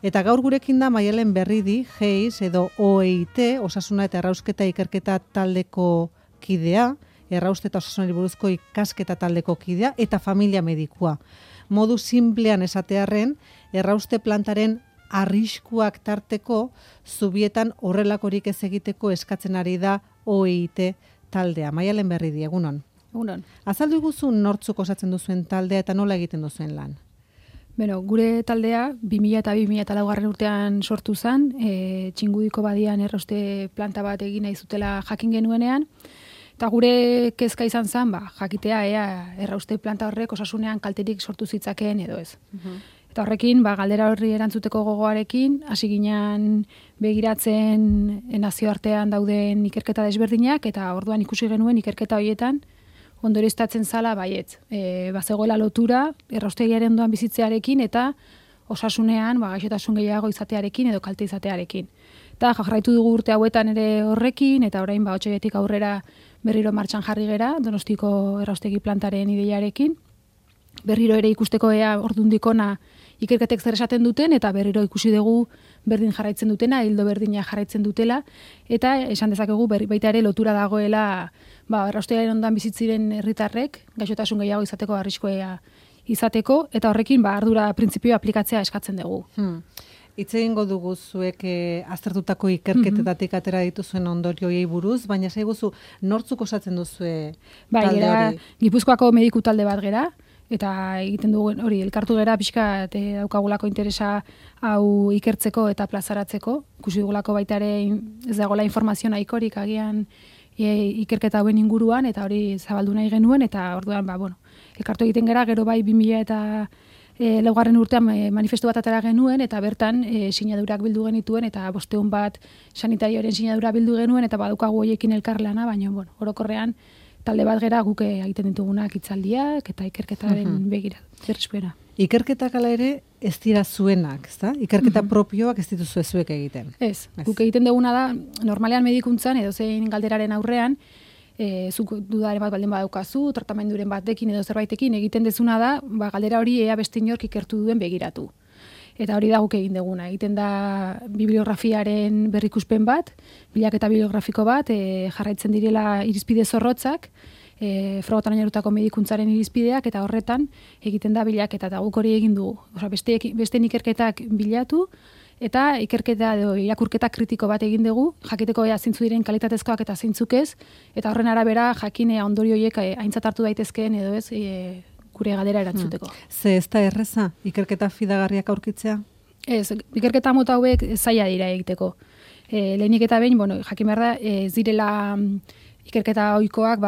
Eta gaur gurekin da Maialen Berridi, GEIS edo OEIT, Osasuna eta Errausketa Ikerketa Taldeko kidea, errauste eta osasunari buruzko ikasketa taldeko kidea eta familia medikua. Modu simplean esatearren, errauste plantaren arriskuak tarteko zubietan horrelakorik ez egiteko eskatzen ari da OEIT taldea. Maialen Berridi, egunon. Egunon. Azaldu iguzu nortzuk osatzen duzuen taldea eta nola egiten duzuen lan? Beno, gure taldea 2000 eta 2004 urtean sortu zen, Txingudiko badian errauste planta bat egin nahi zutela jakin genuenean, eta gure kezka izan zen, jakitea ea errauste planta horrek osasunean kalterik sortu zitzakeen edo ez. Eta horrekin, galdera horri erantzuteko gogoarekin, hasi ginen begiratzen nazioartean dauden ikerketa desberdinak, eta orduan ikusi genuen ikerketa horietan, ondorioztatzen zala baietz. Bazegoela lotura, erraustegiaren ondoan bizitzearekin eta osasunean gaixotasun gehiago izatearekin edo kalte izatearekin. Eta jarraitu dugu urte hauetan ere horrekin, eta orain otsailletik aurrera berriro martxan jarri gera, Donostiko erraustegi plantaren ideiarekin. Berriro ere ikusteko ea ordundik ona ikerketek zer esaten duten, eta berriro ikusi dugu berdin jarraitzen dutena, hildo berdina jarraitzen dutela, eta esan dezakegu baita ere lotura dagoela erraustegiaren ondoan bizitziren herritarrek gaixotasun gehiago izateko arriskua izateko, eta horrekin ardura printzipioa aplikatzea eskatzen dugu. Hitz egingo dugu zuek aztertutako ikerketetatik atera dituzuen ondorioei buruz, baina zaiguzu nortzuk osatzen duzue talde hori? Gipuzkoako mediku talde bat gera, eta egiten dugu hori elkartu gera pixka daukagulako interesa hau ikertzeko eta plazaratzeko. Ikusi dugulako baita ere ez dagoela informazio nahikorik agian ikerketa hauen inguruan, eta hori zabaldu nahi genuen, eta orduan elkartu egiten gera, gero bai 2000 eta laugarren urtean manifestu bat atera genuen, eta bertan sinadurak bildu genituen, eta 500 bat sanitarioaren sinadura bildu genuen, eta badukagu horiekin elkarlana, baina orokorrean talde bat gera guk egiten ditugunak hitzaldiak eta ikerketaren berrespera. Ikerketak ala ere ez dira zuenak, ezta? Ikerketa propioak ez dituzue zuek egiten. Ez, guk egiten duguna da, normalean medikuntzan edo zein galderaren aurrean, zuk dudaren bat baldin badaukazu, tratamenduren batekin edo zerbaitekin egiten dezuna da, galdera hori ea beste inork ikertu duen begiratu. Eta hori da guk egin duguna. Egiten da bibliografiaren berrikuspen bat, bilaketa bibliografiko bat, jarraitzen direla irizpide zorrotzak, frogotan oinarritutako medikuntzaren irizpideak, eta horretan egiten da bilaketa, eta guk hori egin dugu. Beste ikerketak bilatu, eta ikerketa edo irakurketa kritiko bat egin dugu, jakiteko zeintzu diren kalitatezkoak eta zeintzuk ez, eta horren arabera jakinea ondorio horiek aintzat hartu daitezkeen edo ez, gure galdera erantzuteko. Ze ez da erreza ikerketa fidagarriak aurkitzea? Ez, ikerketa mota hauek zaila dira egiteko. Lehenik eta behin, jakin behar da, ez direla ikerketa ohikoak,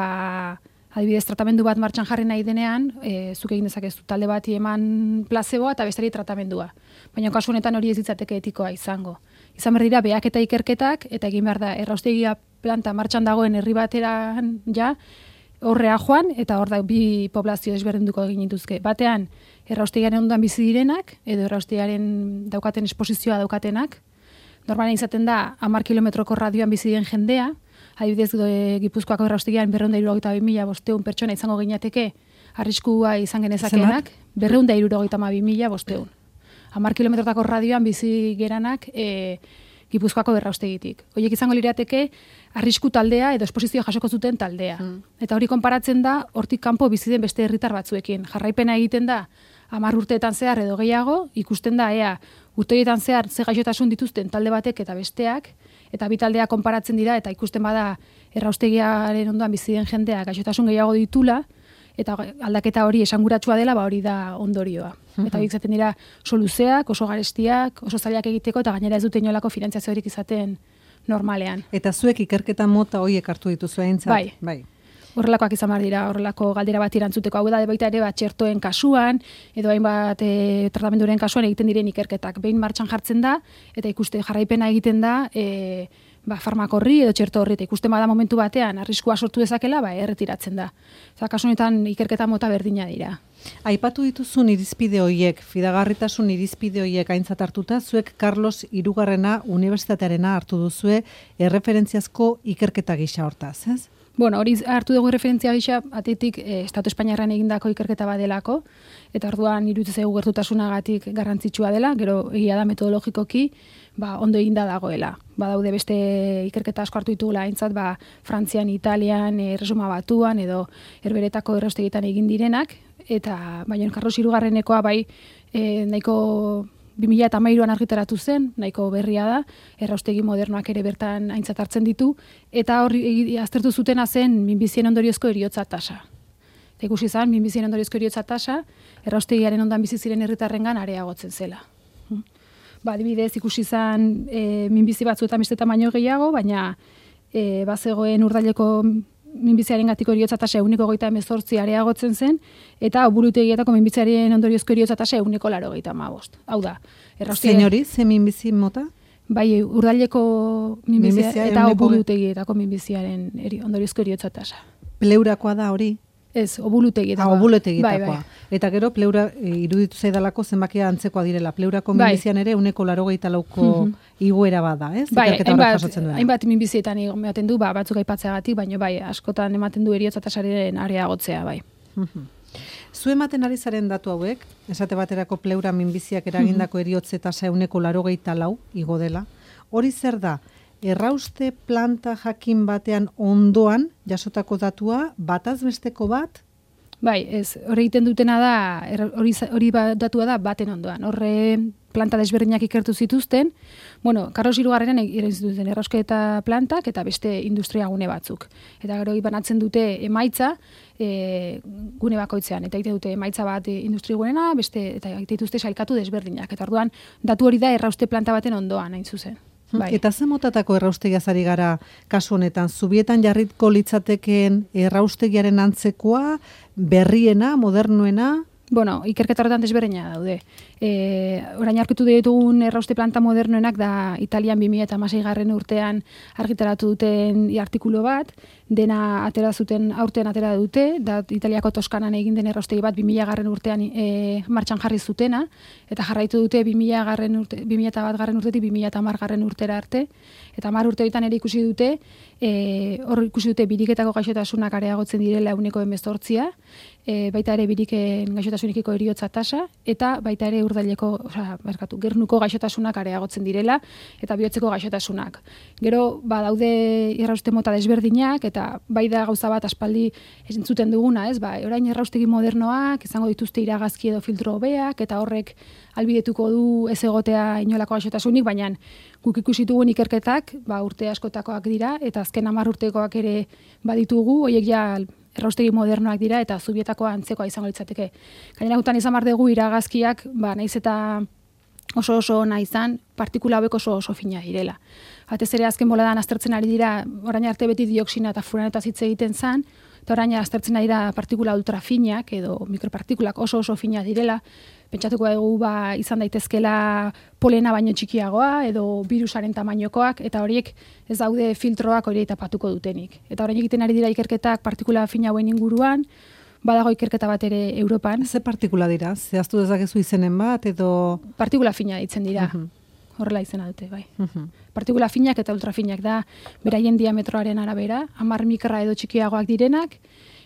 adibidez tratamendu bat martxan jarri nahi denean, zuk egin dezakezu talde bati eman plazeboa eta bestari tratamendua. Baina kasu honetan hori ez ditzateke etikoa izango. Izan behar dira behak eta ikerketak, eta egin behar da erraustegia planta martxan dagoen herri bateran horrea joan, eta hor da bi poblazio desberdinduko egin dituzke. Batean, erraustegiaren ondoan bizi direnak, edo erraustegiaren daukaten esposizioa daukatenak. Normalen izaten da 10 kilometroko radioan bizi diren jendea, adibidez Gipuzkoako erraustegian 272.500 pertsona izango ginateke arriskua izan genezakenak, 272.500. 10 kilometrotako radioan bizi geranak Gipuzkoako erraustegitik. Horiek izango lirateke arrisku taldea edo esposizioa jasoko zuten taldea. Eta hori konparatzen da hortik kanpo bizi den beste herritar batzuekin. Jarraipena egiten da 10 urteetan zehar edo gehiago, ikusten da ea urteetan zehar ze gaixotasun dituzten talde batek eta besteak, eta bi taldeak konparatzen dira, eta ikusten bada erraustegiaren ondoan bizi den jendea gaixotasun gehiago ditula, eta aldaketa hori esanguratsua dela, hori da ondorioa. Eta horiek zaten dira soluzeak, oso garestiak, oso zailak egiteko, eta gainera ez dute inolako finantziaziorik izaten normalean. Eta zuek ikerketa mota horiek hartu dituzu aintzat? Bai. Horrelakoak izan behar dira, horrelako galdera bat irantzuteko. Hau da baita ere txertoen kasuan, edo hainbat tratamenduren kasuan egiten diren ikerketak. Behin martxan jartzen da, eta ikuste jarraipena egiten da, farmako horri edo txerto horri, eta ikusten bada momentu batean arriskua sortu dezakela, erretiratzen da. Kasu honetan ikerketa mota berdina dira. Aipatu dituzun irizpide horiek, fidagarritasun irizpide horiek aintzat hartuta, zuek Carlos Hirugarrena Unibertsitatearena hartu duzue erreferentziazko ikerketa gisa hortaz, ez? Bueno, hori hartu dugu referentzia gisa, atetik Estatu Espainiarran egindako ikerketa badelako, eta orduan iruditzen zaigu gertutasunagatik garrantzitsua dela, gero egia da metodologikoki, ondo eginda dagoela. Badaude beste ikerketa asko hartu ditugula aintzat, Frantzian, Italian, Erresuma Batuan edo herberetako erraustegitan egin direnak, eta baina Carlos Hirugarrenekoa nahiko 2013an argitaratu zen, nahiko berria da, erraustegi modernoak ere bertan aintzat hartzen ditu, eta hori aztertu zutena zen minbizien ondoriozko heriotza tasa. Eta ikusi zen, minbizien ondoriozko heriotza tasa, erraustegiaren ondan bizi ziren herritarrengan areagotzen zela. Adibidez, ikusi zen minbizi batzuetan beste tamaino gehiago, baina bazegoen Urdaileko minbiziaren gatiko heriotza tasa 1,18 areagotzen zen, eta Oburutegietako minbiziaren ondoriozko heriotza tasa 1,85. Hau da, zein hori, ze minbizi mota? Bai, Urdaileko minbizia eta Oburutegietako minbiziaren ondoriozko heriotza tasa. Pleurakoa da hori? Ez, Oburutegietakoa. Oburutegietakoa. Eta gero, pleura iruditu zaidalako zenbakia antzekoa direla. Pleurako minbizian ere 1,84ko igoera bada, ez? Hainbat minbizietan ematen du, batzuk aipatzeagatik, baina askotan ematen du heriotza tasaren areagotzea, bai. Zu ematen ari zaren datu hauek, esate baterako pleura minbiziak eragindako heriotze tasa 1,84 igo dela. Hori zer da? Errauste planta jakin batean ondoan jasotako datua bataz besteko bat? Bai, ez, hori egiten dutena da, hori datua da baten ondoan. Horre planta desberdinak ikertu zituzten, Carlos Hirugarrenen egin zituzten errausketa plantak eta beste industriagune batzuk. Eta gero banatzen dute emaitza gune bakoitzean, eta egite dute emaitza bat industriagunena, beste eta egite dituzte sailkatu desberdinak. Eta orduan datu hori da errauste planta baten ondoan, hain zuzen. Bai. Eta ze motatako erraustegiaz ari gara kasu honetan? Zubietan jarritko litzatekeen erraustegiaren antzekoa, berriena, modernoena? Ikerketa horretan desberdina daude. Orain aurkitu ditugun errauste planta modernoenak da Italian 2016 urtean argitaratu duten artikulu bat, dena atera zuten aurten atera dute, da Italiako Toskanan egin den erraustegi bat 2000 urtean martxan jarri zutena, eta jarraitu dute 2001 urtetik 2010 urtera arte, eta 10 urte horietan ere ikusi dute, hor ikusi dute biriketako gaixotasunak areagotzen direla 18%, baita ere biriken gaixotasunikiko heriotza tasa, eta baita ere gernuko gaixotasunak areagotzen direla, eta bihotzeko gaixotasunak. Gero, daude errauste mota desberdinak, eta bai da gauza bat aspaldi entzuten duguna, ez? Orain erraustegi modernoak, izango dituzte iragazki edo filtro hobeak, eta horrek albidetuko du ez egotea inolako gaixotasunik, baina guk ikusi dugun ikerketak, urte askotakoak dira, eta azken 10 urtekoak ere baditugu, horiek ja erraustegi modernoak dira eta zubietakoa antzekoa izango litzateke. Gainera gutan izan behar dugu iragazkiak, naiz eta oso ona izan, partikula hauek oso fina direla. Batez ere azken boladan aztertzen ari dira, orain arte beti dioxina eta furanetaz hitz egiten zen, eta orain aztertzen ari dira partikula ultrafinak edo mikropartikulak oso fina direla, pentsatuko dugu izan daitezkela polena baino txikiagoa edo virusaren tamainokoak, eta horiek ez daude filtroak hori tapatuko dutenik. Eta orain egiten ari dira ikerketak partikula fina hauen inguruan, badago ikerketa bat ere Europan. Ze partikula dira? Zehaztu dezakezu izenen bat edo... Partikula fina ditzen dira. Horrela izena dute, bai. Partikula finak eta ultrafinak da beraien diametroaren arabera, 10 mikra edo txikiagoak direnak,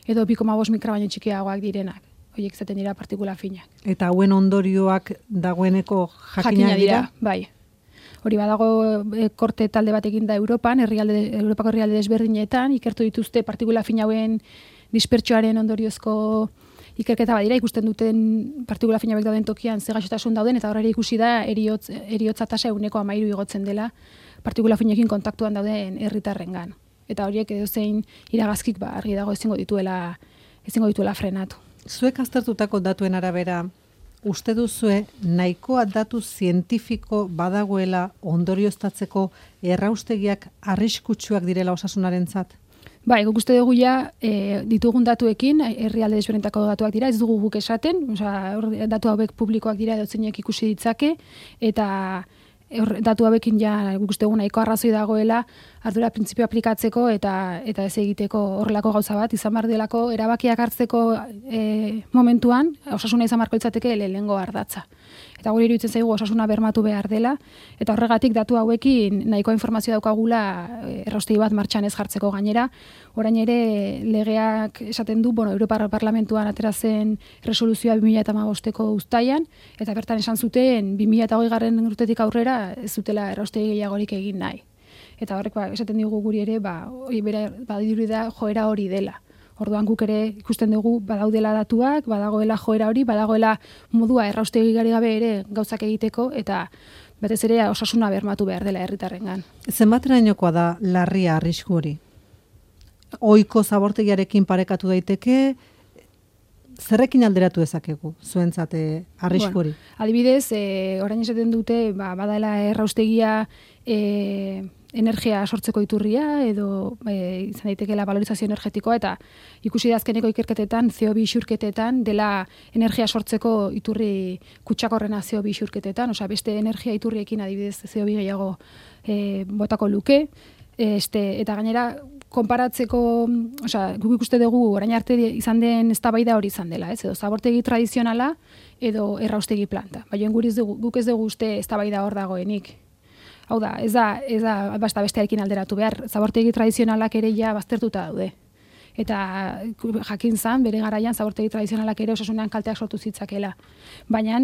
edo 2,5 mikra baino txikiagoak direnak. Horiek izaten dira partikula finak. Eta hauen ondorioak dagoeneko jakina dira? Bai. Hori badago korte talde bat eginda Europan, Europako herrialde desberdinetan, ikertu dituzte partikula fina hauen dispertsioaren ondoriozko ikerketa badira, ikusten duten partikula fina dauden tokian ze gaixotasun dauden, eta horre ikusi da heriotza tasa 13% igotzen dela partikula finekin kontaktuan dauden herritarrengan. Eta horiek edozein iragazkik argi dago ezingo dituela frenatu. Zuek aztertutako datuen arabera, uste duzue nahikoa datu zientifiko badagoela ondorioztatzeko erraustegiak arriskutsuak direla osasunarentzat? Bai, guk uste dugu ditugun datuekin, herrialde desberdinetako datuak dira, ez dugu guk esaten, datu hauek publikoak dira edozeinek ikusi ditzake, eta datu hauekin guk uste dugu nahiko arrazoi dagoela ardura printzipio aplikatzeko eta ez egiteko horrelako gauza bat, izan behar delako erabakiak hartzeko momentuan, osasuna izan beharko litzateke lehenengo ardatza. Eta guri iruditzen zaigu osasuna bermatu behar dela, eta horregatik datu hauekin nahikoa informazio daukagula erraustegi bat martxan ez jartzeko gainera. Orain ere legeak esaten du, Europar Parlamentuan atera zen resoluzioa 2015ko uztailan, eta bertan esan zuten 2020 urtetik aurrera ez zutela erraustegi gehiagorik egin nahi. Eta horrek esaten digu guri ere, badirudi da joera hori dela. Orduan guk ere ikusten dugu badaudela datuak, badagoela joera hori, badagoela modua erraustegi gari gabe ere gauzak egiteko, eta batez ere osasuna bermatu behar dela herritarrengan. Zenbaterainokoa da larria arrisku hori? Ohiko zabortegiarekin parekatu daiteke, zerrekin alderatu dezakegu zuentzat arrisku hori? Adibidez, orain esaten dute badala erraustegia energia sortzeko iturria edo izan daitekeela valorizazio energetikoa, eta ikusi da azkeneko ikerketetan CO2 isurketetan dela energia sortzeko iturri kutsakorrena CO2 isurketetan, beste energia iturriekin adibidez CO2 gehiago botako luke, eta gainera konparatzeko, guk ikuste dugu orain arte izan den eztabaida hori izan dela, edo zabortegi tradizionala edo erraustegi planta. Baina guk ez dugu uste eztabaida hor dagoenik. Hau da, ez da bestearekin alderatu behar, zabortegi tradizionalak ere ja baztertuta daude. Eta jakin zan, bere garaian zabortegi tradizionalak ere osasunean kalteak sortu zitzakela. Baina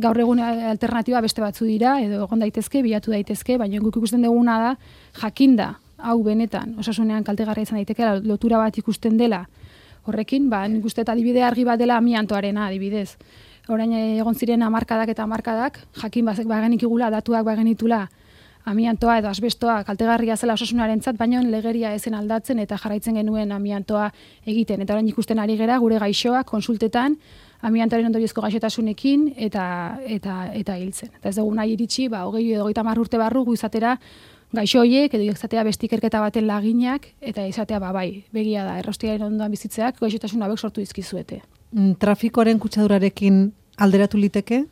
gaur egun alternatiba beste batzu dira, edo egon daitezke, bilatu daitezke, baina guk ikusten duguna da, jakinda, hau benetan, osasunean kaltegarria izan daitekeela, lotura bat ikusten dela. Horrekin, nik uste eta adibide argi bat dela amiantoarena adibidez. Orain egon ziren hamarkadak eta hamarkadak, jakin bagenikigula, datuak bagenitula, amiantoa edo asbestoa kaltegarria zela osasunarentzat, baina legeria ezen aldatzen eta jarraitzen genuen amiantoa egiten. Eta orain ikusten ari gera gure gaixoak konsultetan amiantoaren ondoriozko gaixotasunekin eta hiltzen. Eta ez dugu nahi iritsi, 20 edo 30 urte barru gu izatera gaixo horiek edo izatea beste ikerketa baten laginak eta izatea begia da erraustegiaren ondoan bizitzeak gaixotasun hauek sortu dizkizuete. Trafikoaren kutsadurarekin alderatu liteke?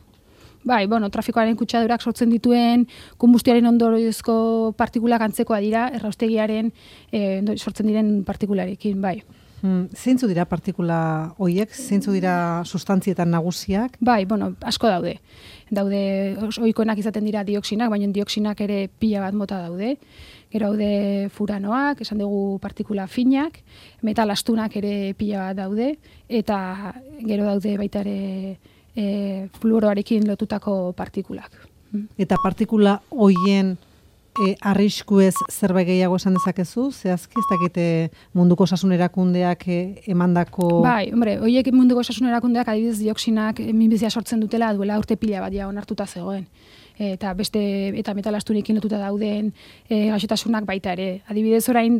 Trafikoaren kutsadurak sortzen dituen konbustioaren ondoriozko partikulak antzekoa dira, erraustegiaren sortzen diren partikularekin, bai. Zeintzu dira partikula horiek? Zeintzu dira sustantzietan nagusiak? Asko daude. Ohikoenak izaten dira dioxinak, baina dioxinak ere pila bat mota daude. Gero daude furanoak, esan dugu partikula finak, metal astunak ere pila bat daude, eta gero daude baita ere fluoroarekin lotutako partikulak. Eta partikula hoien arriskuez zerbait gehiago esan dezakezu? Zehazki ez dakite munduko osasun erakundeak emandako... Horiek munduko osasun erakundeak adibidez dioxinak minbizia sortzen dutela duela urte pila bat ja onartuta zegoen. Eta metal astunekin lotuta dauden gaixotasunak baita ere. Adibidez orain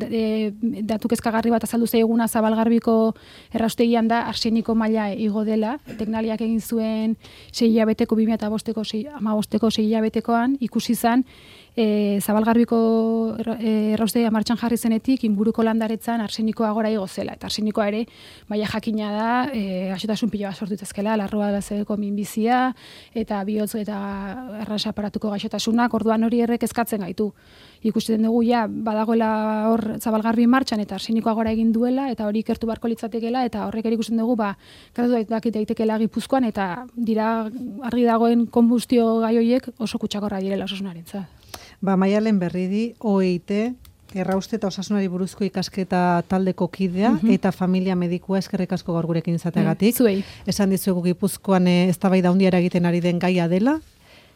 datu kezkagarri bat azaldu zaiguna Zabalgarbiko erraustegian da arseniko maila igo dela. Teknaliak egin zuen 6 hilabeteko 2015ko 6 hilabetekoan ikusi zan Zabalgarbiko erraustegia martxan jarri zenetik inguruko landaretzan arsenikoa gora igo zela. Eta arsenikoa ere maila jakina da gaixotasun pila bat sortu daitezkeela, larruazeko minbizia eta bihotz eta arras aparatuko gaixotasunak, orduan hori errek kezkatzen gaitu. Ikusten dugu badagoela hor Zabalgarbi martxan eta arsenikoa gora egin duela eta hori ikertu beharko litzatekeela eta horrek ere ikusten dugu gradu daitekeela Gipuzkoan eta dira argi dagoen konbustio gai horiek oso kutsakorra direla osasunarentza. Maialen Berridi, OIT, errauste eta osasunari buruzko ikasketa taldeko kidea eta familia medikua, eskerrik asko gaur gurekin izateagatik. Zuei. Esan dizuegu Gipuzkoan eztabaida handia eragiten ari den gaia dela,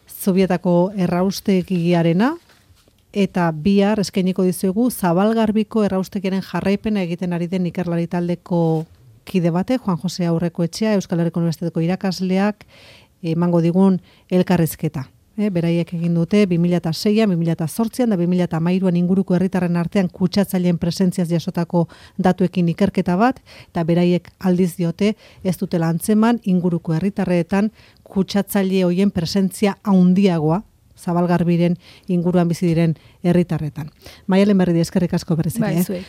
Zubietako erraustegiarena, eta bihar eskainiko dizuegu Zabalgarbiko erraustegiaren jarraipena egiten ari den ikerlari taldeko kide bate, Juan Jose Aurrekoetxea, Euskal Herriko Unibertsitateko irakasleak emango digun elkarrizketa. Beraiek egin dute 2006an, 2008an da 2013an inguruko herritarren artean kutsatzaileen presentziaz jasotako datuekin ikerketa bat, eta beraiek aldiz diote ez dutela antzeman inguruko herritarreetan kutsatzaile hoien presentzia handiagoa Zabalgarbiren inguruan bizi diren herritarretan. Maialen Berridi, eskerrik asko berriz ere.